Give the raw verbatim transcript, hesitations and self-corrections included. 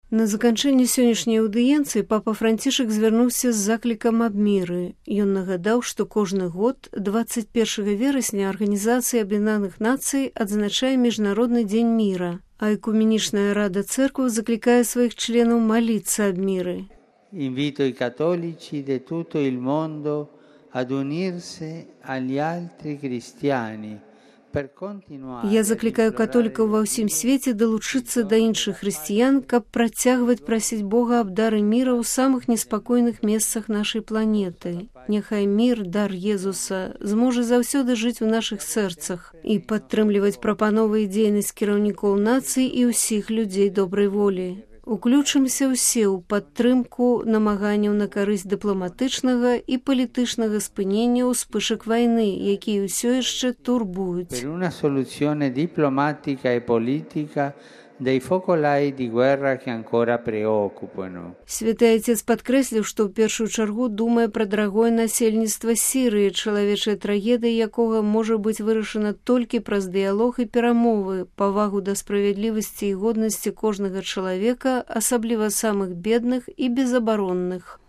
На заканчэнне сённяшняй аўдыенцыі папа Францішак звярнуўся з заклікам аб міры. Ён нагадаў, што кожны год дваццаць першага верасня Арганізацыя Аб'яднаных Нацый адзначае Міжнародны дзень міра, а Экуменічная рада цэркваў заклікае сваіх членаў маліцца аб міры. Invito i cattolici di tutto il mondo ad unirsi agli altri cristiani. Я заклікаю католікаў ва ўсім свеце далучыцца да іншых хрысціян, каб працягваць прасіць Бога аб дары міра ў самых неспакойных месцах нашай планеты. Няхай мір, дар Езуса, зможа заўсёды жыць у нашых сэрцах і падтрымліваць прапановы і дзейнасць кіраўнікоў нацый і ўсіх людзей добрай волі. Уключымся ўсе ў падтрымку намаганняў на карысць дыпламатычнага і палітычнага спынення ўспышак вайны, якія ўсё яшчэ турбуюць. Per una soluzione diplomatica e politica dei focolai di guerra che ancora preoccupano. Святы Отец падкрэсліў, што ў першую чаргу думае пра дарагое насельніцтва Сірыі, чалавечая трагедыя якога можа быць вырашана толькі праз дыялог і перамовы, павагу да справядлівасці і годнасці кожнага чалавека, асабліва самых бедных і безабаронных.